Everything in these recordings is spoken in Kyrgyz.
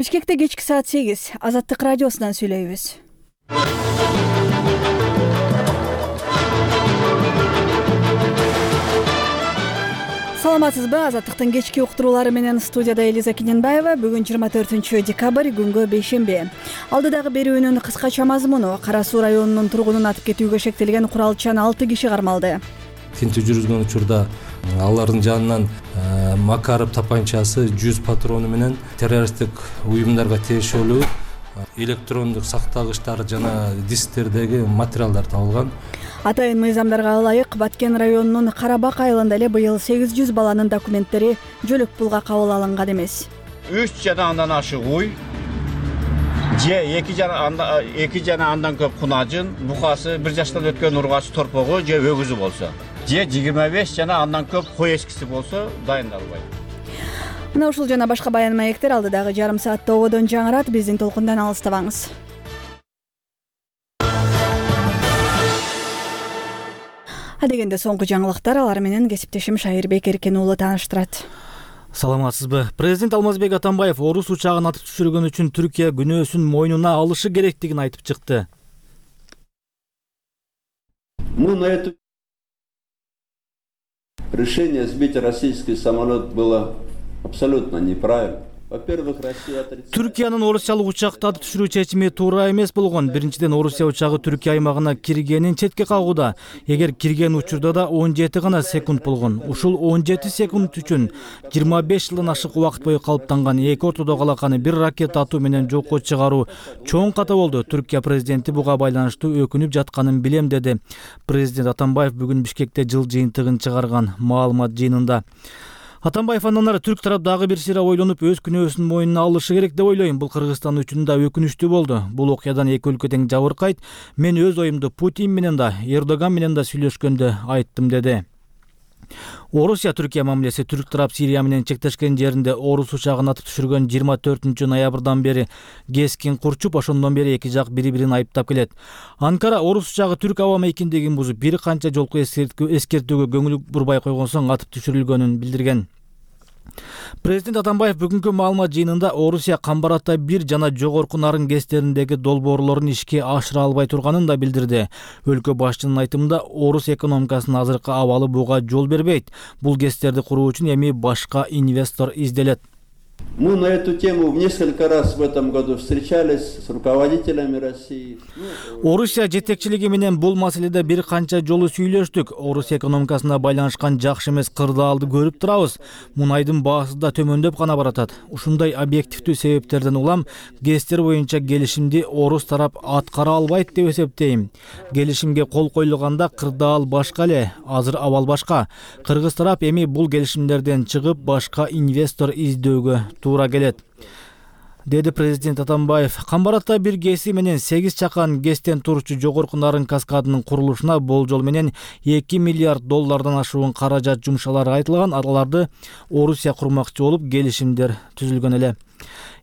Бишкекте кечки саат 8 Азаттык радиосунан сүйлөйбүз. Саламатсызбы? Азаттыктын кечки уктуруулары менен студияда Элиза Кененбаева. Бүгүн 24 декабрь күнгө бейшемби. Алдыдагы берүүнүн кыскача мазмуну: Кара Суу районунун тургунун атып кетүүгө шектелген куралчан 6 киши кармалды. Тинтүү жүргүзгөн учурда алардын жанынан Макаров тапанчасы, 100 патрону менен террористтик уюмдарга тиешелүү электрондук сактагычтар жана дисктердеги материалдар табылган. Атайын мыйзамдарга ылайык Баткен районунун Карабак айылында эле быйыл 800 баланын документтери жөлөк пулга кабыл алынган эмес. 3 жана андан ашык уй, же 2 жана андан көп кунажын, букасы 1 жаштан өткөн ургач торпогу же өгүзү болсо, же 25 жана андан көп кой эскиси болсо дайындалбайт. Мына ушул жана башка баян маектер алдыдагы жарым саатта ободон жаңырат. Биздин толкундан алыстабаңыз. Адегенде соңку жаңылыктар, алар менен кесиптешим Шайырбек Эркен уулу тааныштырат. Саламатсызбы? Президент Алмазбек Атамбаев орус учагын атып түшүргөн үчүн Түркия күнөөсүн мойнуна алышы керектигин айтып чыкты. Мы на это решение сбить российский самолет было абсолютно неправильно. Во-первых, Россия отрицает. Түркиянын орусиялык учакты атып түшүрүү чечими туура эмес болгон. Биринчиден, Орусия учагы Түркия аймагына киргенин четке кагууда. Эгер кирген учурда да 17 гана секунд болгон. Ушул 17 секунд үчүн 25 жылдан ашык убакыт бою калыптанган эки ортодогу алаканы бир ракета атуу менен жокко чыгаруу чоң ката болду. Түркия президенти буга байланыштуу өкүнүп жатканын билем, деди. Президент Атамбаев бүгүн Бишкекте жыл жыйынтыгын чыгарган маалымат жыйынында. Атамбаев андан ары түрк тарап дагы бир сыйра ойлонуп өз күнөөсүн мойнуна алышы керек деп ойлойм. Бул Кыргызстан үчүн да өкүнүчтүү болду. Бул окуядан эки өлкө тең жабыркайт. Мен өз оюмду Путин менен да, Эрдоган менен да сүйлөшкөндө айттым, деди. Орусия-Түркия мамилеси: түрк тарап Сирия менен чектешкен жеринде орус учагын атып түшүргөн 24 ноябрдан бери кескин курчуп, ошондон бери эки жак бири-бирин айыптап келет. Анкара орус учагы түрк аба мейкиндигин бузуп, бир канча жолку эскертүүгө көңүл бурбай койгон соң атып түшүрүлгөнүн билдирген. Президент Атамбаев бүгүнкү маалымат жыйынында Орусия Камбарата 1 жана жогорку Нарын кестериндеги долбоорлорун ишке ашыра албай турганын да билдирди. Өлкө башчынын айтымында, орус экономикасынын азыркы абалы буга жол бербейт. Бул кестерди куруу үчүн эми башка инвестор изделет. Мы на эту тему несколько раз в этом году встречались с руководителями России. Орусия жетекчилиги менен бул маселеде бир канча жолу сүйлөштүк. Орус экономикасына байланышкан жакшы эмес кырдаалды көрүп турабыз. Мунайдын баасы да төмөндөп гана баратат. Ушундай объективдүү себептерден улам кестер боюнча келишимди орус тарап аткара албайт деп эсептейм. Келишимге кол коюлганда кырдаал башка эле, азыр абал башка. Кыргыз тарап эми бул келишимдерден чыгып башка инвестор издөөгө туура келет, деди президент Атамбаев. Камбарата 1 кеси менен 8 чакан кестен турчу жогорку Нарын каскадынын курулушуна болжол менен 2 миллиард доллардан ашуун каражат жумшалары айтылган. Аларды Орусия курмакчы болуп келишимдер түзүлгөн эле.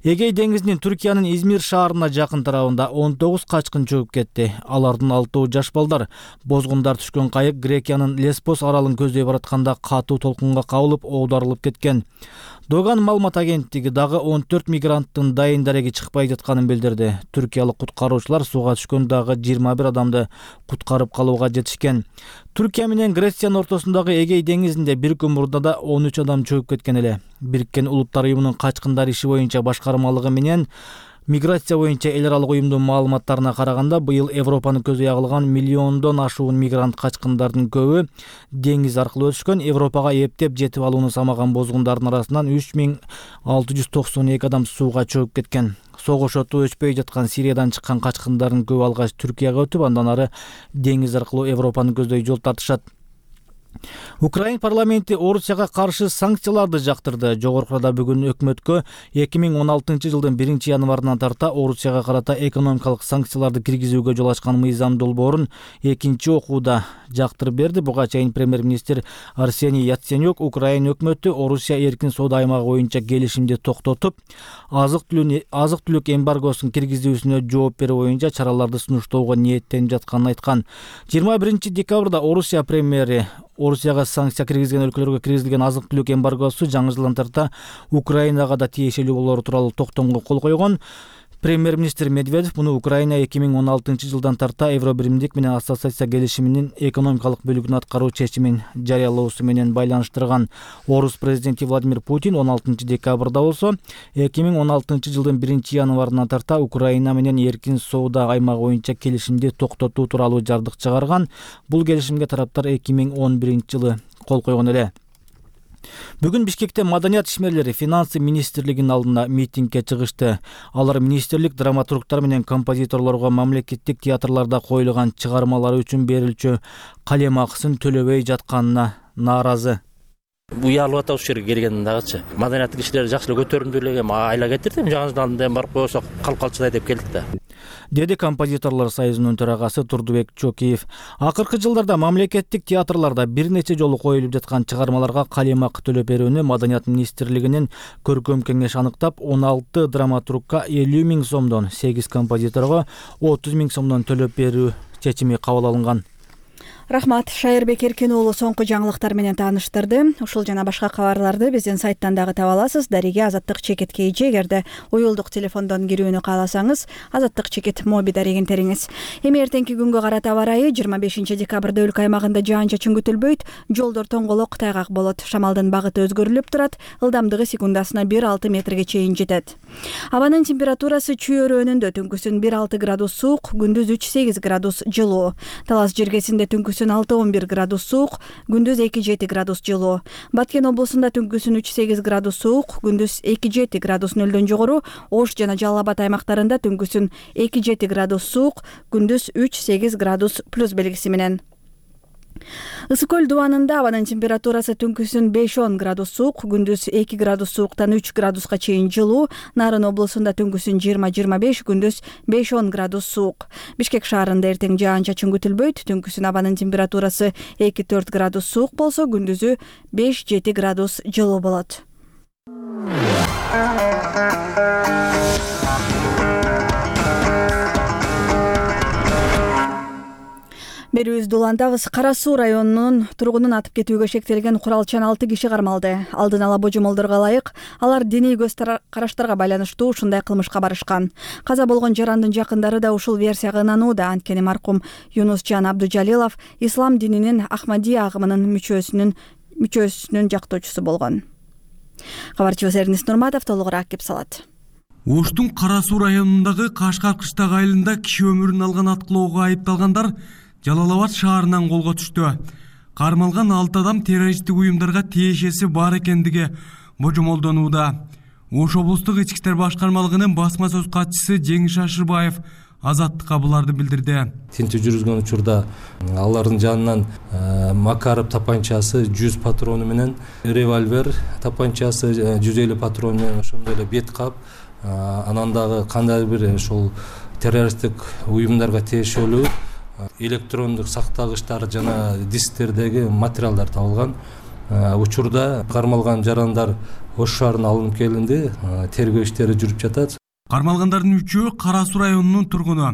Эгей деңизинин Түркиянын Измир шаарына жакын тарабында 19 качкын чөгүп кетти. Алардын 6 жаш балдар. Бозгундар түшкөн кайык Грекиянын Леспос аралын көздөй баратканда катуу толкунга кабылып оодарылып кеткен. Доган маалымат агенттиги дагы 14 мигранттын дайын дареги чыкпай жатканын билдирди. Түркиялык куткаруучулар сууга түшкөн дагы 21 адамды куткарып калууга жетишкен. Түркия менен Грециянын ортосундагы Эгей деңизинде бир күн мурда да 13 адам чөгүп кеткен эле. Бириккен Улуттар уюмунун качкындар иши боюнча башкармалыгы менен миграция боюнча эл аралык уюмдун маалыматтарына караганда, быйыл Европаны көздөй агылган миллиондон ашуун мигрант качкындардын көбү деңиз аркылуу өтүшкөн. Европага эптеп жетип алууну самаган бозгундардын арасынан 3692 адам сууга чөгүп кеткен. Согуш оту өчпөй жаткан Сириядан чыккан качкындардын көбү алгач Түркияга өтүп, андан ары деңиз аркылуу Европаны көздөй жол тартышат. Украин парламенти Орусияга каршы санкцияларды жактырды. Жогоркуда бүгүн өкмөткө 2016 жылдын 1 январынан тарта Орусияга карата экономикалык санкцияларды киргизүүгө жол ачкан мыйзам долбоорун экинчи окууда жактырып берди. Буга чейин премьер-министр Арсений Яценюк Украин өкмөтү Орусия эркин соода аймагы боюнча келишимди токтотуп, азык-түлүк эмбаргосун киргизүүсүнө жооп берүү боюнча чараларды сунуштоого ниеттенип жатканын айткан. 21 декабрда Орусия премьери Орусияга санкция киргизген өлкөлөргө киргизилген азык-түлүк эмбаргосу жаңы жылдан тарта Украинага да тиешелүү болору тууралуу токтомго кол койгон. Премьер-министр Медведев муну Украина 2016-жылдан тарта Евробиримдик менен ассоциация келишиминин экономикалык бөлүгүн аткаруу чечимин жарыялоосу менен байланыштырган. Орус президенти Владимир Путин 16-декабрда болсо 2016-жылдын 1-январынан тарта Украина менен эркин соода аймагы боюнча келишимди токтотуу тууралуу жардык чыгарган. Бул келишимге тараптар 2011-жылы кол койгон эле. Бүгүн Бишкекте маданият ишмерлери финансы министрлигинин алдына митингге чыгышты. Алар министрлик драматургтар менен композиторлорго мамлекеттик театрларда коюлган чыгармалары үчүн берилчү калем акысын төлөбөй жатканына нааразы. Уялып атабыз ушул жерге келгенден дагычы. Маданияттык ишleri жакшы эле көтөрүмдүү эле айла кетирди. Жаңы жылдан да барып койсок калып калчыдай деп келдик да. Деди композиторлор союзунун төрагасы Турдубек Чокиев. Акыркы жылдарда мамлекеттик театрларда бир нече жолу коюлуп жаткан чыгармаларга калем акы төлөп берүүнү Маданият министрлигинин көркөм кеңеш аныктап, 16 драматургка 50 000 сомдон, 8 композиторго 30 000 сомдон төлөп берүү чечими кабыл алынган. Рахмат, Шайырбек Эркен уулу соңку жаңылыктар менен тааныштырды. Ушул жана башка кабарларды биздин сайттан дагы таба аласыз. Дариге Азаттык чекит KG. Эгерде уюлдук телефондон кирүүнү кааласаңыз, Азаттык чекит моби дарегин териңиз. Эми эртеңки күнгө карата аба ырайы 25 декабрда өлкө аймагында жаан-чачын күтүлбөйт. Жолдор тоңголок, тайгак болот. Шамалдын багыты өзгөрүлүп турат. Ылдамдыгы секундасына 1-6 метрге чейин жетет. Абанын температурасы чүйөрөөнүндө түнкүсүн 1-6 градус суук, күндүз 3-8 градус жылуу. Талас жергесинде түнкүсүн 6-11 градус суук, күндүз 2-7 градус жылуу. Баткен облусунда түнкүсүн 3-8 градус суук, күндүз 2-7 градус нөлдөн жогору. Ош жана Жалал Абад аймактарында түнкүсүн 2-7 градус суук, күндүз 3-8 градус плюс белгиси менен. Ысык көл дубанында абанын температурасы түнкүсүн 5-10 градус суук, күндүз 2 градус сууктан 3 градуска чейин жылуу. Нарын облусунда түнкүсүн 20-25, күндүз 5-10 градус суук. Бишкек шаарында эртең жаан-чачын күтүлбөйт. Түнкүсүн абанын температурасы 2-4 градус суук болсо, күндүзү 5-7 градус жылуу болот. Берүүбүздү улантабыз. Кара Суу районунун тургунун атып кетүүгө шектелген куралчан 6 киши кармалды. Алдын ала божомолдорго ылайык, алар диний көз караштарга байланыштуу ушундай кылмышка барышкан. Каза болгон жарандын жакындары да ушул версияга ынанууда. Анткени маркум Юнусжан Абдужалилов ислам дининин Ахмадия агымынын мүчөсүнүн жактоочусу болгон. Кабарчыбыз Эрнис Нурматов толугураак кеп салат. Оштун Кара Суу районундагы Кашкар кыштак айылында киши өмүрүн алган аткылоого айыпталгандар Жалал Абад шаарынан колго түштү. Кармалган 6 адам террористтик уюмдарга тиешеси бар экендиги божомолдонууда. Ош облустук ички иштер башкармалыгынын басма сөз катчысы Жеңиш Ашырбаев Азаттыкка буларды билдирди. Тинтүү жүргүзгөн учурда алардын жанынан Макаров тапанчасы 100 патрону менен, револьвер тапанчасы 150 патрону менен, ошондой эле бет кап, анан дагы кандайдыр бир ошол террористтик уюмдарга тиешелүү электрондук сактагычтар жана дисктердеги материалдар табылган. Учурда кармалган жарандар Ош шаарына алынып келинди, тергөө иштери жүрүп жатат. Кармалгандардын 3-өө Кара Суу районунун тургуну,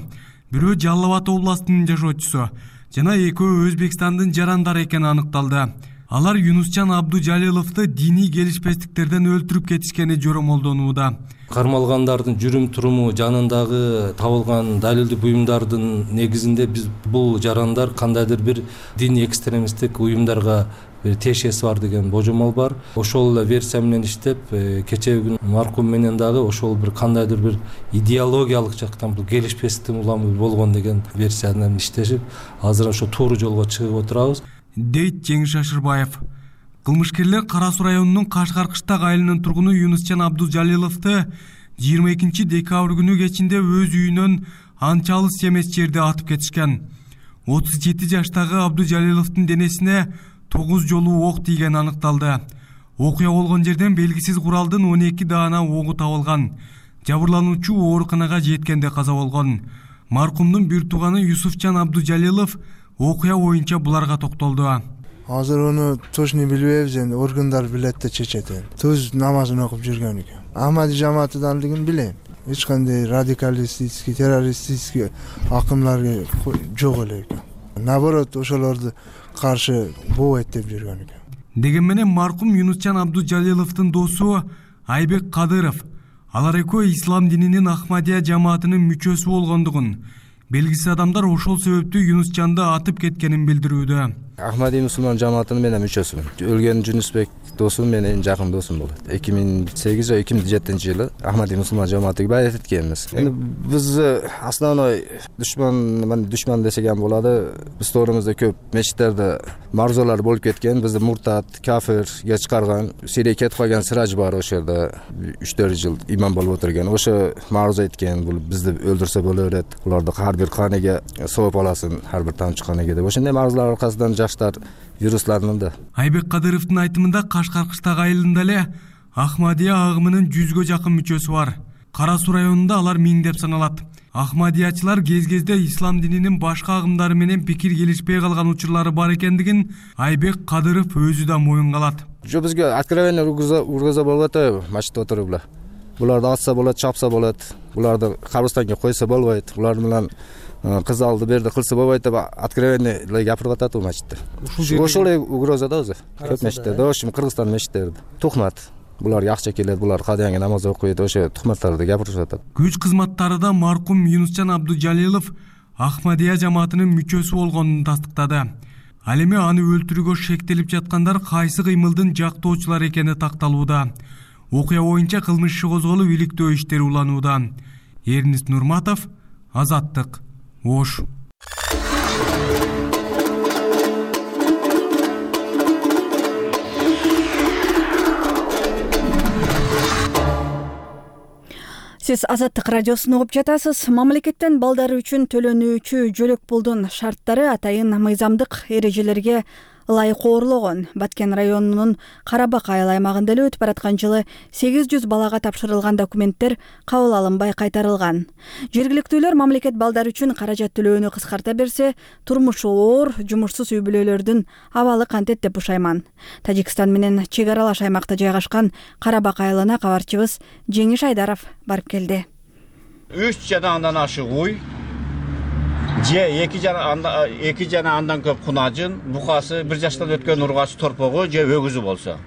бирөө Жалал Абад областынын жашоочусу жана экөө Өзбекстандын жарандары экени аныкталды. Алар Юнусжан Абдужалиловду диний келишпестиктерден өлтүрүп кетишкени жоромолдонууда. Кармалгандардын жүрүм туруму жанындагы табылган далилдик буюмдардын негизинде биз бул жарандар кандайдыр бир диний экстремисттик уюмдарга тиешеси бар деген божомол бар. Ошол эле версия менен иштеп, кечээ күн маркум менен дагы ошол бир кандайдыр бир идеологиялык жактан бул келишпестик уламы болгон деген версия менен иштешип, азыр ошо туура жолго чыгып отурабыз, дейт Жеңиш Ашырбаев. Кылмышкерлер Кара Суу районунун Кашкар кыштак айылынын тургуну Юнусжан Абдужалиловду 22 декабрь күнү кечинде өз үйүнөн анча алыс эмес жерде атып кетишкен. 37 жаштагы Абдужалиловдун денесине 9 жолу ок тийгени аныкталды. Окуя болгон жерден белгисиз куралдын 12 даана огу табылган. Жабырлануучу ооруканага жеткенде каза болгон. Маркумдун бир тууганы Юсуфжан Абдужалилов окуя боюнча буларга токтолду. Азыр ону точно билбейбиз, энди органдар билет да чечет. Төз намазын окуп жүргөн экен. Ахмади жамаатыдандыгын билем. Эч кандай радикалистический, террористический акымдар жок эле экен. Наоборот, ошолорду каршы болбойт деп жүргөн экен. Деген менен маркум Юнусчан Абдужалиловдун досу Айбек Кадыров алар экөө ислам дининин Ахмадия жамаатынын мүчөсү болгондугун, белгисиз адамдар ошол себептүү Юнусчанды атып кеткенин билдирүүдө. Ахмадия мусулман жамаатынын мен мүчөсүмүн. Өлгөн Жунусбек досум менин жакын досум болот. 2008 же 2007-жылы Ахмадия мусулман жамаатыга байат эткенбиз. Эми биз основной душман десек ham болот. Биз тоорубузда көп мечиттерде марзалар болуп кеткен. Бизди муртат, кафирге чыгарган, Сирияга кетип калган сырач бар ошол жерде 3-4 жыл имам болуп отурган. Ошо марза айткан, бул бизди өлтүрсө боло берет. Буларды ар бир канеге сооп аласын, ар бир тамчы канеге деп. Ошондой марзалар аркасынан жаштар вирусларынын да. Айбек Кадыровдун айтымында Кашкар-Кыштак айылында эле Ахмадия агымынын 100гө жакын мүчөсү бар. Кара Суу районунда алар миңдеп саналат. Ахмадиячылар кез-кезде ислам дининин башка агымдары менен пикир келишпей калган учурлары бар экендигин Айбек Кадыров өзү да моюнга алат. Жо бизге откровенно ургуза болбойт, мачта отуруп эле. Буларды атса болот, чапса болот. Буларды кабырстанга койсо болбойт. Булар менен кыз алды берди кылса болбойт деп откровенно гапырып атат бул мачитте. Ошол эле угроза да өзү. Көп мечиттерде, ошо Кыргызстан мечиттерде. Тухмат. Буларга акча келет, булар кадыянга намаз окуйт, ошо тухматтарды гапырып атат. Күч кызматтарында маркум Юнусчан Абдужалилов Ахмадия жамаатынын мүчөсү болгонун тастыктады. Ал эми аны өлтүрүүгө шектелип жаткандар кайсы кыймылдын жактоочулар экени такталууда. Окуя боюнча кылмыш иши козголуп, иликтөө иштери уланууда. Эрнис Нурматов, Азаттык, Ош. Сиз Азаттык радиосун угуп жатасыз. Мамлекеттен балдары үчүн төлөнүүчү жөлөк пулдун шарттары атайын мыйзамдык эрежелерге ылайык оорулогон. Баткен районунун Карабак айыл аймагында эле өтүп бараткан жылы 800 балага тапшырылган документтер кабыл алынбай кайтарылган. Жергиликтүүлөр мамлекет балдар үчүн каражат төлөөнү кыскарта берсе, турмушу оор, жумушсуз үй бүлөлөрдүн абалы кантет деп бушайман. Тажикстан менен чек аралаш аймакта жайгашкан Карабак айылына кабарчыбыз Жеңиш Айдаров барып келди. 3 жана андан ашык уй, же 2 жана андан көп кунажын, букасы 1 жаштан өткөн ургачы торпогу же өгүзү болсо.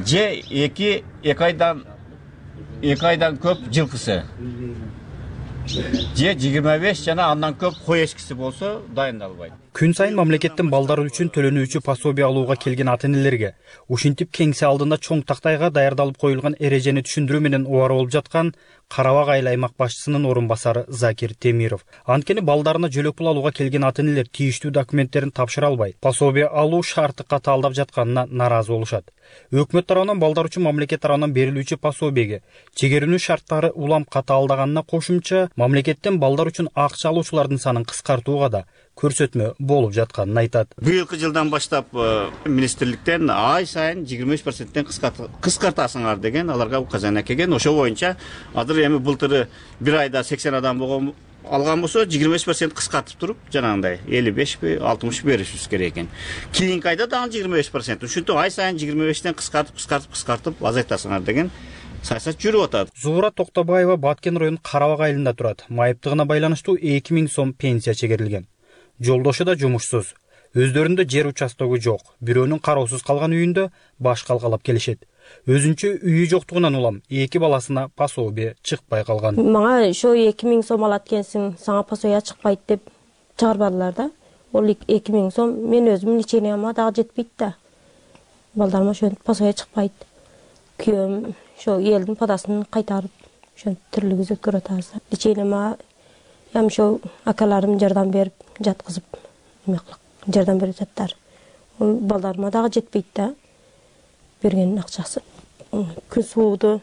Же 2 айдан көп жылкысы. Же 25 жана андан көп кой эчкиси болсо дайындалбайт. Күн сайын мамлекеттин балдары үчүн төлөнүүчү пособия алууга келген ата-энелерге ушинтип кеңсе алдында чоң тактайга даярдалып коюлган эрежени түшүндүрүү менен убара болуп жаткан Карабак айыл аймак башчысынын орун басары Закир Темиров. Анткени балдарына жөлөк пул алууга келген ата-энелер тийиштүү документтерин тапшыра албай, пособия алуу шарты катаалдап жатканына нааразы болушат. Өкмөт тарабынан балдар үчүн мамлекет тарабынан берилүүчү пособияге чегерүүнүн шарттары улам катаалдаганына кошумча, мамлекеттен балдар үчүн акча алуучулардын санын кыскартууга да көрсөтмө болуп жатканын айтат. Быйылкы жылдан баштап министрликтен ай сайын 23%-тен кыскартасыңар деген аларга указания келген. Ошо боюнча азыр эми былтыры бир айда 80 адам болгон алган болсо 25% кыскартып туруп, жанагындай 55-60 беришибиз керек экен. Кийинки айда дагы 25%. Ушинтип ай сайын 25-тен кыскартып азайтасыңар деген саясат жүрүп атат. Зура Токтобаева Баткен районунун Карабак айылында турат. Майыптыгына байланыштуу 2000 сом пенсия чегерилген. Жолдошу да жумушсуз. Өздөрүндө жер участогу жок. Бирөөнүн кароосуз калган үйүндө баш калкалап келишет. Өзүнчө үйү жоктугунан улам 2 баласына пособия чыкпай калган. Мага ошо 2000 сом алат экенсиң, сага пособия чыкпайт деп чыгарбадылар да. Ол 2000 сом мен өзүмдүн лечениямга дагы жетпейт да. Балдарыма ошентип пособия чыкпайт. Күйөөм ошо элдин подасын кайтарып, ошентип тирилгизип өткөрөт азыр. Лечениямга ям ошо акаларым жардам берип жаткызып, жардам берип жаттар. Ол балдарыма дагы жетпейт да. Берген акчасы. Күн сууду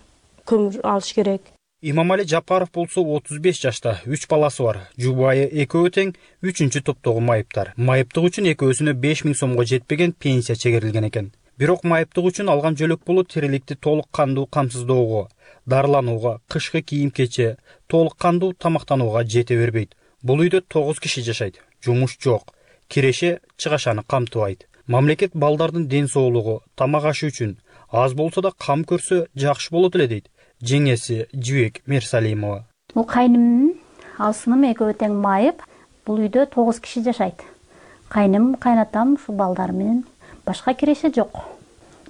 көмүр алыш керек. Имамали Жапаров болсо 35 жашта, 3 баласы бар. Жубайы экөө тең 3-чү топтогу майыптар. Майыптык үчүн экөөсүнө 5000 сомго жетпеген пенсия чегерилген экен. Бирок майыптык үчүн алган жөлөк пулу тириликти толук кандуу камсыздоого, дарыланууга, кышкы кийим-кече, толук кандуу тамактанууга жете бербейт. Бул үйдө 9 киши жашайт. Жумуш жок. Киреше чыгашаны камтыбайт. Мамлекет балдардын ден соолугу, тамак ашы үчүн аз болсо да кам көрсө жакшы болот эле дейт жеңеси Жибек Мерсалимова. Бул кайнымдын алсыным экөө тең майып. Бул үйдө 9 киши жашайт. Кайным, кайнатам ушу балдар менен башка киреше жок.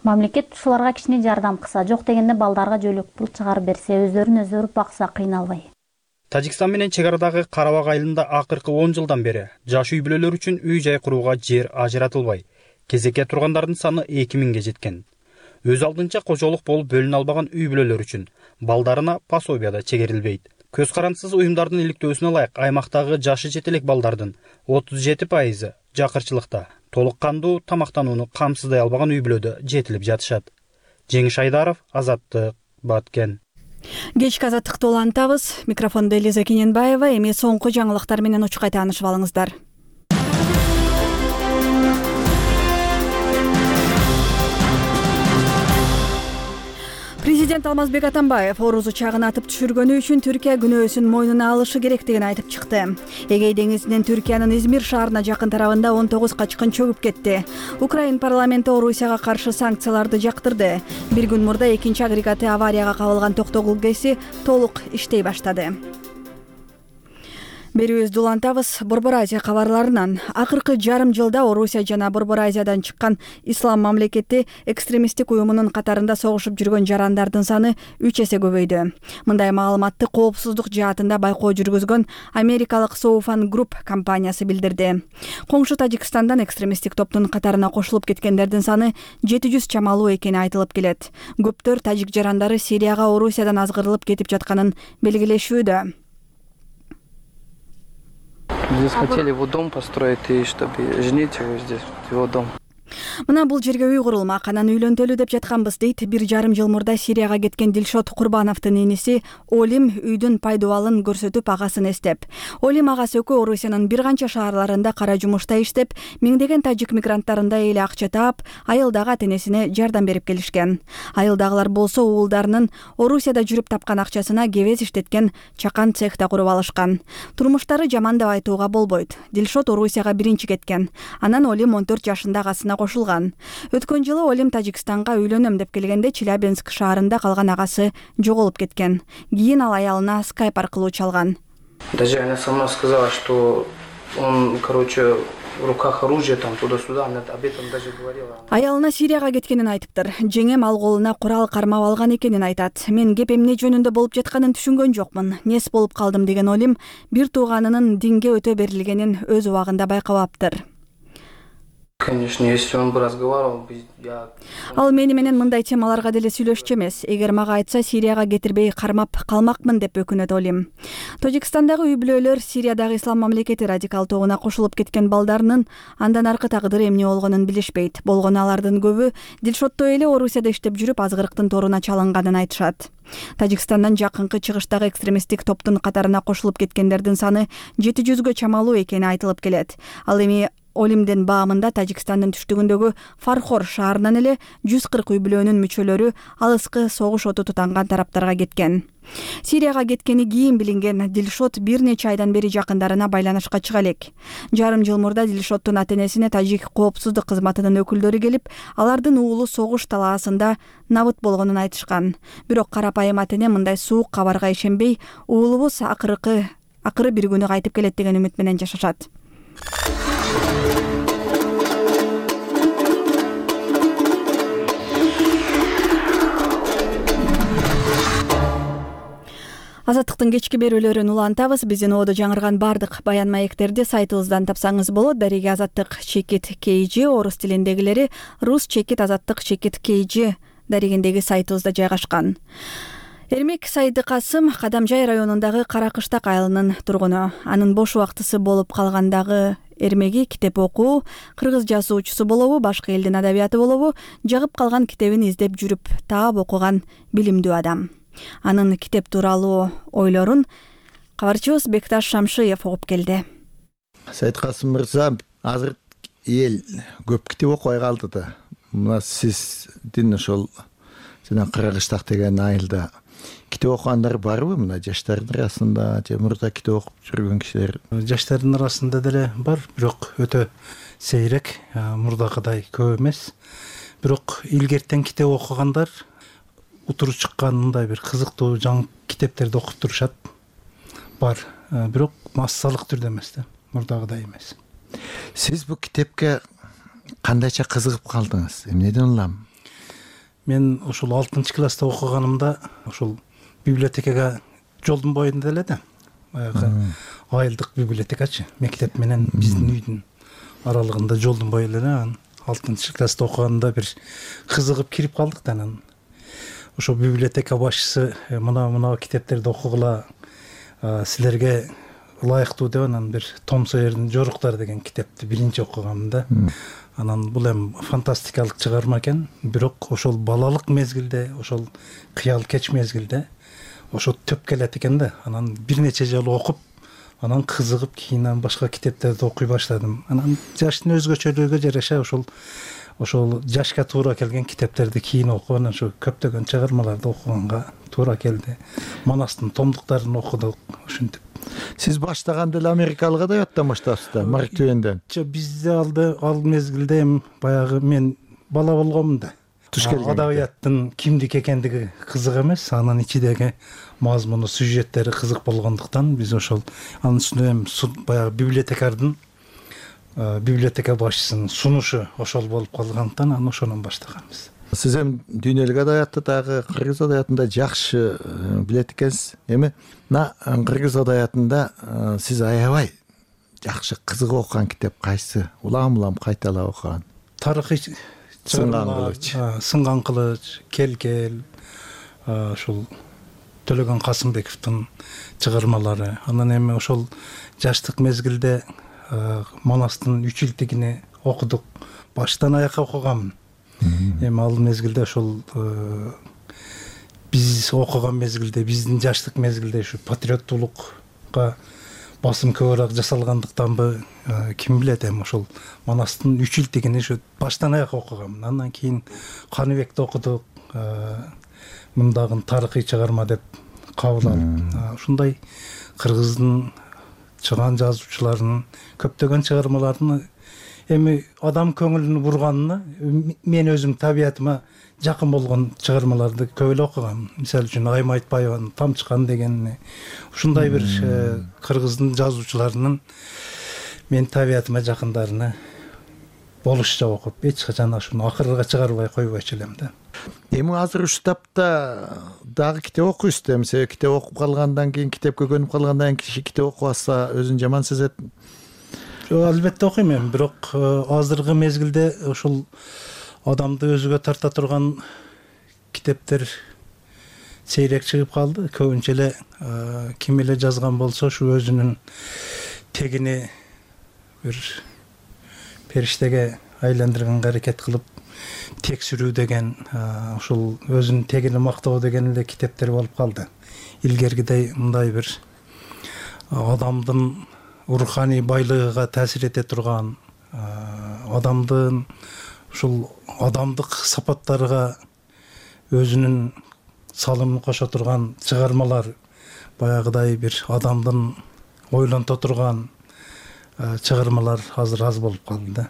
Мамлекет ушуларга кичине жардам кылса, жок дегенде балдарга жөлөк пул чыгарып берсе, өздөрүн өздөрү бакса кыйналбай. Тажикстан менен чек арадагы Карабак айылында акыркы 10 жылдан бери жаш үй бүлөлөр үчүн үй-жай курууга жер ажыратылбай. Кезекке тургандардын саны 2000ге жеткен. Өз алдынча кожолук болуп бөлүнө албаган үй бүлөлөр үчүн балдарына пособия да чегерилбейт. Көз карандысыз уюмдардын иликтөөсүнө ылайык аймактагы жашы жете элек балдардын 37% жакырчылыкта, толук кандуу тамактанууну камсыздай албаган үй бүлөдө жетилип жатышат. Жеңиш Айдаров, Азаттык, Баткен. Кечки азаттыкты улантабыз. Микрофондо Элиза Кененбаева. Эми соңку жаңылыктар менен учкай таанышып алыңыздар. Президент Алмазбек Атамбаев Орус учагын атып түшүргөнү үчүн Түркия күнөөсүн мойнуна алышы керектигин айтып чыкты. Эгей деңизинен Түркиянын Измир шаарына жакын тарабында 19 качкын чөгүп кетти. Украин парламенти Орусияга каршы санкцияларды жактырды. Бир күн мурда экинчи агрегаты аварияга кабылган токтогул ГЭСи толук иштей баштады. Берүүбүздү улантабыз. Борбор Азия кабарларынан акыркы жарым жылда Орусия жана Борбор Азиядан чыккан Ислам мамлекети экстремисттик уюмунун катарында согушуп жүргөн жарандардын саны 3 эсе көбөйдү. Мындай маалыматты коопсуздук жаатында байкоо жүргүзгөн америкалык Soufan Group компаниясы билдирди. Коңшу Тажикстандан экстремисттик топтун катарына кошулуп кеткендердин саны 700 чамалуу экени айтылып келет. Көптөр тажик жарандары Сирияга Орусиядан азгырылып кетип жатканын белгилешүүдө. Здесь хотели его дом построить и чтобы женить его здесь, его дом. Мына бул жерге үй курулмак, анан үйлөнтөлүү деп жатканбыз дейт 1,5 жыл мурда Сирияга кеткен Дилшот Курбановдун иниси Олим үйдүн пайдубалын көрсөтүп агасын эстеп. Олим агасы экөө Орусиянын бир канча шаарларында кара жумушта иштеп, миңдеген тажик мигранттарында эле акча таап, айылдагы ата-энесине жардам берип келишкен. Айылдагылар болсо уулдарынын Орусияда жүрүп тапкан акчасына кебез иштеткен чакан цехта куруп алышкан. Турмуштары жаман деп айтууга болбойт. Дилшот Орусияга биринчи кеткен. Анан Олим 14 жашында агасына кошулган. Өткөн жылы Олим Тажикстанга үйлөнөм деп келгенде Челябинск шаарында калган агасы жоголуп кеткен. Кийин ал аялына скайп аркылуу чалган. Даже она сама сказала, что он, в руках оружие там туда-сюда, она об этом даже говорила. Аялына Сирияга кеткенин айтыптыр. Жеңем ал колуна курал кармап алган экенин айтат. Мен кеп эмне жөнүндө болуп жатканын түшүнгөн жокмун. Нес болуп калдым деген Олим бир тууганынын динге өтө берилгенин өз убагында байкабаптыр. Конечно, если он бы разговаривал, Ал мени менен мындай темаларга деле сүйлөшчү эмес. Эгер мага айтса, Сирияга кетирбей кармап калмакмын деп өкүнөт Олим. Тажикстандагы үй бүлөлөр Сириядагы Ислам мамлекети радикал тобуна кошулуп кеткен балдарынын андан аркы тагдыры эмне болгонун билишпейт. Болгону алардын көбү Дилшоттой эле Орусияда иштеп жүрүп азгырыктын торуна чалынганын айтышат. Тажикстандан жакынкы чыгыштагы экстремисттик топтун катарына кошулуп кеткендердин саны 700гө чамалуу экени айтылып келет. Ал эми Олимдин баамында Тажикстандын түштүгүндөгү Фархор шаарынан эле 140 үй бүлөнүн мүчөлөрү алыскы согуш оту тутанган тараптарга кеткен. Сирияга кеткени кийин билинген Дилшот бир нече айдан бери жакындарына байланышка чыга элек. Жарым жыл мурда Дилшоттун ата-энесине тажик коопсуздук кызматынын өкүлдөрү келип, алардын уулу согуш талаасында набыт болгонун айтышкан. Бирок карапайым ата-эне мындай суук кабарга ишенбей, уулубуз акыры бир күнү кайтып келет деген үмүт менен жашашат. Азаттыктын кечки берүүлөрүн улантабыз. Биздин оодо жаңырган бардык баян маектерди сайтыбыздан тапсаңыз болот. Дареги Азаттык _KG орус тилиндегилери Рус _Азаттык _KG дарегиндеги сайтыбызда жайгашкан. Эрмек Сайдыкасым Кадамжай районундагы Каракыштак айылынын тургуну. Анын бош убактысы болуп калгандагы эрмеги китеп окуу, кыргыз жазуучусу болобу, башка элдин адабияты болобу, жагып калган китебин издеп жүрүп таап окуган билимдүү адам. Анын китеп тууралуу ойлорун кабарчыбыз Бекташ Шамшиев угуп келди. Сайдыкасым мырза, азыр эл көп китеп окубай калды да. Мына сиздин ошол жана Каракыштак деген айылда китеп окугандар барбы? Мына жаштардын арасында же мурда китеп окуп жүргөн кишилер? Жаштардын арасында деле бар, бирок өтө сейрек, мурдагыдай көп эмес. Бирок илгертен китеп окугандар утуру чыккан мындай бир кызыктуу жаңы китептерди окуп турушат. Бар, бирок массалык түрдө эмес да, мурдагыдай эмес. Сиз бул китепке кандайча кызыгып калдыңыз? Эмнеден улам? Мен ушул 6-класста окуганымда ушул библиотекага жолдун боюнда эле да. Баягы айылдык библиотекачы. Мектеп менен биздин үйдүн аралыгында жолдун бою эле. 6-класста окуганда бир кызыгып кирип калдык да. Анан ошо библиотека башчысы мына китептерди окугула, силерге ылайыктуу деп анан бир Том Сойердин Жоруктары деген китепти биринчи окугам да. Анан бул эми фантастикалык чыгарма экен, бирок ошол балалык мезгилде, ошол кыял кеч мезгилде ошо төп келет экен да. Анан бир нече жолу окуп, анан кызыгып, кийин башка китептерди окуй баштадым. Анан жаштын өзгөчөлүгүгө жараша ошол жашка туура келген китептерди кийин окуп, анан ошо көптөгөн чыгармаларды окуганга туура келди. Манастын томдуктарын окудук, ушинтип. Сиз баштаганда эле америкалык адабияттан баштапсыз да, Марк Твенден? Бизде ал мезгилде эми баягы мен бала болгомун да. Туш келген. Адабияттын кимдик экендиги кызык эмес, анын ичидеги мазмуну, сюжеттери кызык болгондуктан биз ошол анын үстүнө эми баягы библиотека башчысынын сунушу ошол болуп калгандыктан анан ошонон баштаганбыз. Сиз эми дүйнөлүк адабиятты дагы кыргыз адабиятында жакшы билет экенсиз. Эми кыргыз адабиятында сиз аябай жакшы кызык окуган китеп кайсы? Улам кайталап окуган? Тарыхый Сынган кылыч, Кел, ошол Төлөгөн Касымбековдун чыгармалары. Анан эми ошол жаштык мезгилде Манастын 3 илтигини окудук. Баштан аякка окугам. Эми ал мезгилде ошол биз окуган мезгилде, биздин жаштык мезгилде ушу патриоттуулукка басым көбүрөөк жасалгандыктанбы, ким билет, эми ошол Манастын 3 илтигини ушу баштан аякка окугам. Андан кийин Каныбекти окудук, мындагы тарыхый чыгарма деп кабыл алып, ушундай кыргыздын чыган жазуучуларынын көптөгөн чыгармаларын эми адам көңүлүн бурганына мен өзүм табиятыма жакын болгон чыгармаларды көп эле окугам. Мисалы үчүн Айым Айтбаеванын Тамчыкан дегени, ушундай бир кыргыздын жазуучуларынын мен табиятыма жакындарына болушча окуп, эч качан ушуну акырга чыгарбай койбойчу элем да. Эми азыр ушул таапта дагы китеп окуйсуз да, себеби китеп окуп калгандан кийин, китепке көнүп калгандан кийин китеп окубаса өзүн жаман сезет. Албетте окуйм эми, бирок азыркы мезгилде ушул адамды өзүгө тарта турган китептер сейрек чыгып калды. Көбүнчө эле ким эле жазган болсо ушу өзүнүн тегини бир периштеге айландырганга аракет кылып текширүү деген, ушул өзүнүн тегини мактоо деген эле китептер болуп калды. Илгергидей мындай бир адамдын руханий байлыгыга таасир эте турган, адамдын ушул адамдык сапаттарга өзүнүн салымын кошо турган чыгармалар, баягыдай бир адамдын ойлонто турган чыгармалар азыр аз болуп калды да.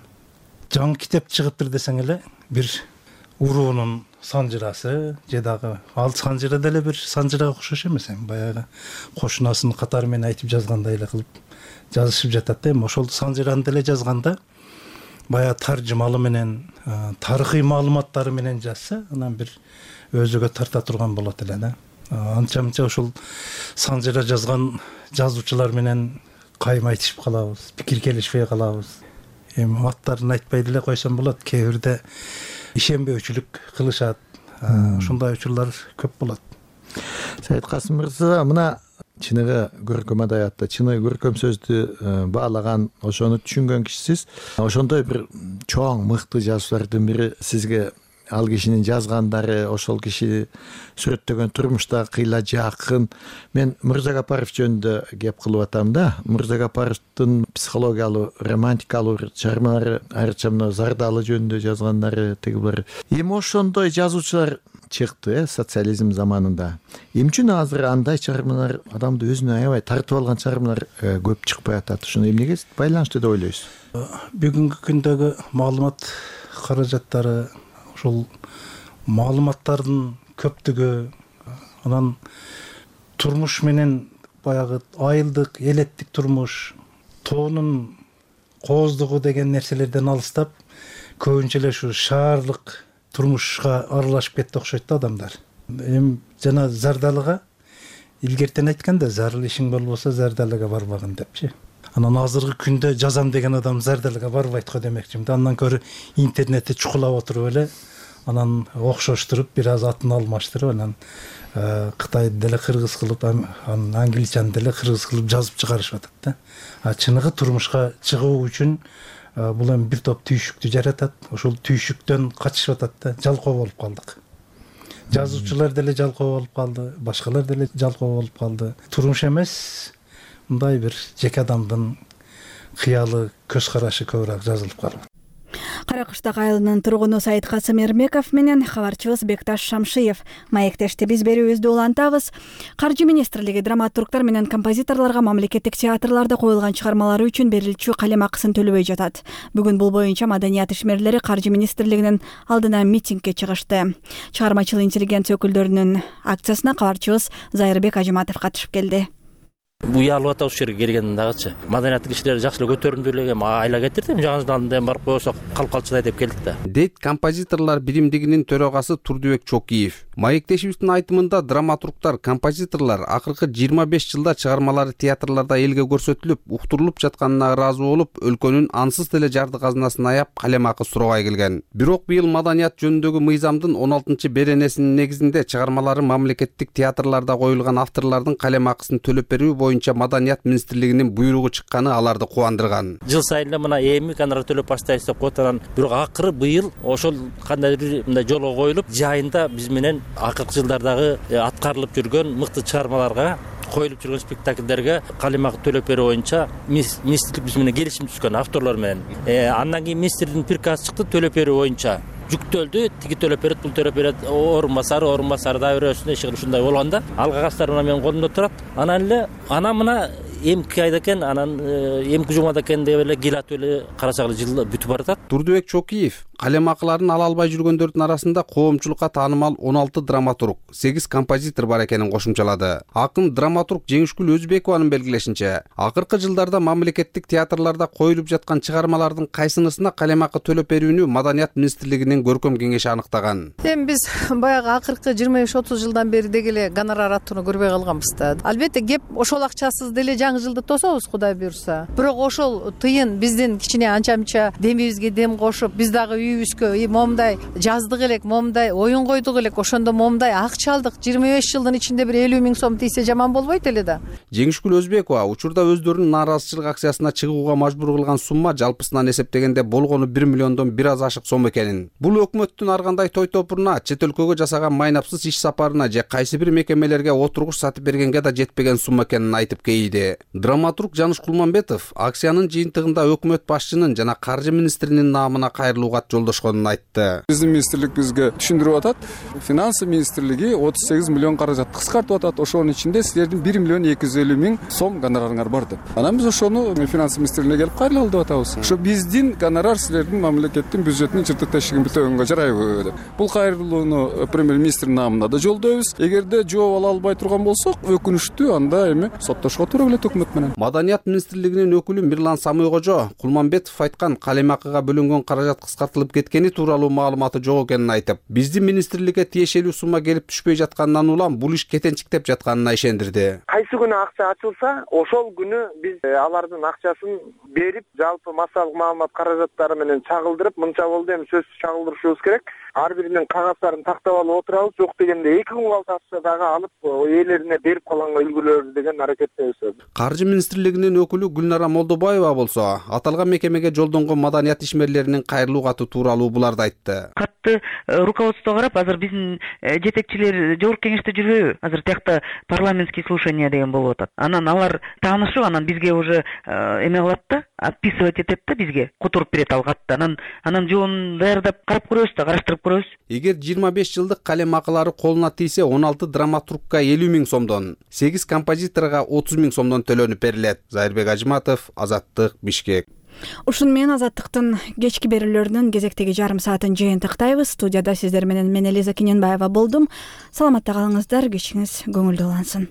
Жаңы китеп чыгыптыр десең эле, бир уруунун санжырасы же дагы ал санжыра деле бир санжырага окшош эмес, баягы кошунасын катары менен айтып жазгандай эле кылып жазышып жатат да. Эми ошол санжыраны деле жазганда баягы таржымалы менен, тарыхый маалыматтары менен жазса, анан бир өзүгө тарта турган болот эле да. Анча-мынча ошол санжыра жазган жазуучулар менен кайым айтышып калабыз, пикир келишпей калабыз. Эми аттарын айтпай деле койсом болот, кээ бирде ишенбөөчүлүк кылышат. Ушундай учурлар көп болот. Сайыткасым мырза, мына чыныгы көркөм адабиятта чыныгы көркөм сөздү баалаган, ошону түшүнгөн кишисиз. Ошондой бир чоң мыкты жазуучулардын бири сизге ал кишинин жазгандары, ошол киши сүрөттөгөн турмушта кыйла жакын. Мен Мырза Гапаров жөнүндө кеп кылып атам да. Мырза Гапаровдун психологиялуу, романтикалуу чыгармалары, айрыкча мына Зардалы жөнүндө жазгандары, тигилер. Эми ошондой жазуучулар чыкты социализм заманында. Эмне үчүн азыр андай чыгармалар адамды өзүнө аябай тартып алган чыгармалар көп чыкпай атат? Ушуну эмнеге байланыштуу деп ойлойсуз? Бүгүнкү күндөгү маалымат каражаттары, ушул маалыматтардын көптүгү, анан турмуш менен баягы айылдык, элеттик турмуш, тоонун кооздугу деген нерселерден алыстап, көбүнчө эле ушу шаардык турмушка аралашып кетти окшойт да адамдар. Эми жана зардалыга илгертен айтканда, зарыл ишиң болбосо зардалыга барбагын депчи. Анан азыркы күндө жазам деген адам зардалыга барбайт го демекчимин. Андан көрө интернетти чукулап отуруп эле, анан окшоштуруп, бир аз атын алмаштырып, анан Кытайды деле кыргыз кылып, анан англичаны деле кыргыз кылып жазып чыгарышып атат да. Чыныгы турмушка чыгуу үчүн бул эми бир топ түйшүктү жаратат. Ошол түйшүктөн качышып атат да. Жалкоо болуп калдык. Жазуучулар деле жалкоо болуп калды, башкалар деле жалкоо болуп калды. Турмуш эмес, мындай бир жеке адамдын кыялы, көз карашы көбүрөөк жазылып калат. Каракыштак айылынын тургуну Саидкасым Эрмеков менен кабарчыбыз Бекташ Шамшиев маектешти. Биз берүүбүздү улантабыз. Каржы министрлиги драматургдар менен композиторлорго мамлекеттик театрларда коюлган чыгармалары үчүн берилчү калем акысын төлөбөй жатат. Бүгүн бул боюнча маданият ишмерлери Каржы министрлигинин алдына митингге чыгышты. Чыгармачыл интеллигенция өкүлдөрүнүн акциясына кабарчыбыз Зайырбек Ажыматов катышып келди. Уялып атабыз ушул жерге келгенден дагычы. Маданияттык кишилер жакшы эле көтөрүмдүү эле айла кетирди. Жаңы жылдан барып койсок калып калчыдай деп келдик да. Дейт композиторлор биримдигинин төрагасы Турдубек Чокиев. Маектешибиздин айтымында драматургдар, композиторлор акыркы 25 жылда чыгармалары театрларда элге көрсөтүлүп, уктурулуп жатканына ыраазы болуп, өлкөнүн ансыз деле жарды казынасын аяп калем акы сурабай келген. Бирок быйыл маданият жөнүндөгү мыйзамдын 16-беренесинин негизинде чыгармалары мамлекеттик театрларда коюлган авторлордун калем акысын төлөп берүү боюнча маданият министрлигинин буйругу чыкканы аларды кубандырган. Жыл сайын мына эми гонорар төлөп баштайбыз деп коет, анан бирок акыры быйыл ошол кандайдыр мындай жолго коюлуп, жайында биз менен акыркы жылдардагы аткарылып жүргөн мыкты чыгармаларга, коюлуп жүргөн спектакльдерге калем акы төлөп берүү боюнча министрлик биз менен келишим түзгөн авторлор менен. Андан кийин министрликтин приказы чыкты төлөп берүү боюнча. Жүктөлдү, тиги төлөп берет, бул төлөп берет, орун басары да өрөсүнө иши ушундай болгондо, алга кастар мына менин колумда турат. Анан эле мына эмки айда экен, анан эмки жумада экен деп эле келатып эле карасак эле жыл бүтүп баратат. Турдубек Чокиев калем акыларын ала албай жүргөндөрдүн арасында коомчулукка таанымал 16 драматург, 8 композитор бар экенин кошумчалады. Акын драматург Жеңишгүл Өзбекованын белгилешинче, акыркы жылдарда мамлекеттик театрларда коюлуп жаткан чыгармалардын кайсынысына калем акы төлөп берүүнү маданият министрлигинин көркөм кеңеши аныктаган. Эми биз баягы акыркы 25-30 жылдан бери дегеле гонорар аттууну көрбөй калганбыз да. Албетте кеп ошол акчасыз деле жаңы жылды тособуз, Кудай буйрса. Бирок ошол тыйын биздин кичине анча-мынча демибизге дем кошуп, биз дагы үйүбүзгө момундай жаздык элек, момундай оюн койдук элек, ошондо момундай акча алдык. 25 жылдын ичинде бир 50 000 сом тийсе жаман болбойт эле да. Жеңишгүл Өзбекова учурда өздөрүнүн нааразычылык акциясына чыгууга мажбур кылган сумма жалпысынан эсептегенде болгону 1 миллиондон бир аз ашык сом экенин. Бул өкмөттүн ар кандай той топуруна, чет өлкөгө жасаган майнапсыз иш сапарына же кайсы бир мекемелерге отургуч сатып бергенге да жетпеген сумма экенин айтып кейиди. Драматург Жаныш Кулманбетов акциянын жыйынтыгында өкмөт башчынын жана каржы министринин наамына кайрылуу кат жолдошконун айтты. Биздин министрлик бизге түшүндүрүп атат. Финансы министрлиги 38 миллион каражат кыскартып атат. Ошонун ичинде силердин 1 миллион 250 000 сом гонорарыңар бар деп. Анан биз ошону финансы министрлигине келип кайрылалы деп атабыз. Ошо биздин гонорар силердин мамлекеттин бюджетинин чыртык тешигин бүтөгөнгө жарайбы деп. Бул кайрылууну премьер-министрдин наамына да жолдойбуз. Эгерде жооп ала албай турган болсок, өкүнүчтүү, анда эми соттошко туура келет өкмөт менен. Маданият министрлигинин өкүлү Мирлан Самыйкожо Кулманбетов айткан калем акыга бөлүнгөн каражат кыскартылып кеткени тууралуу маалыматы жок экенин айтып, биздин министрликке тиешелүү сумма келип түшпөй жатканынан улам бул иш кетенчиктеп жатканына ишендирди. Кайсы күнү акча ачылса, ошол күнү биз алардын акчасын берип, жалпы массалык маалымат каражаттары менен чагылдырып, мынча болду, эми сөзсүз чагылдырышыбыз керек. Ар биринин кагаздарын тактап алып отурабыз, жок дегенде 2 күн калтаса дагы алып ээлерине берип калган үлгүлөр деген аракеттебиз. Каржы министрлигинин өкүлү Гүлнара Молдобаева болсо, аталган мекемеге жолдонгон маданият ишмерлеринин кайрылуу каты тууралуу буларды айтты. Катты руководство карап, азыр биздин жетекчилер жогорку кеңеште жүрбөйбү? Азыр тиякта парламентский слушание деген болуп атат. Анан алар таанышып, анан бизге уже эме кылат да, отписывать этет да бизге, которуп берет ал катты. Анан жоонун даярдап карап көрөбүз да, караштырып көрөбүз. Эгер 25 жылдык калем акылары колуна тийсе, 16 драматургка 50 000 сомдон, 8 композиторго 30 000 сомдон төлөнүп берилет. Зайырбек Ажыматов, Азаттык, Бишкек. Ушун менен Азаттыктын кечки берүүлөрүнүн кезектеги жарым саатын жыйынтыктайбыз. Студияда сиздер менен мен Элиза Киненбаева болдум. Саламатта калыңыздар, кечиңиз көңүлдүү улансын.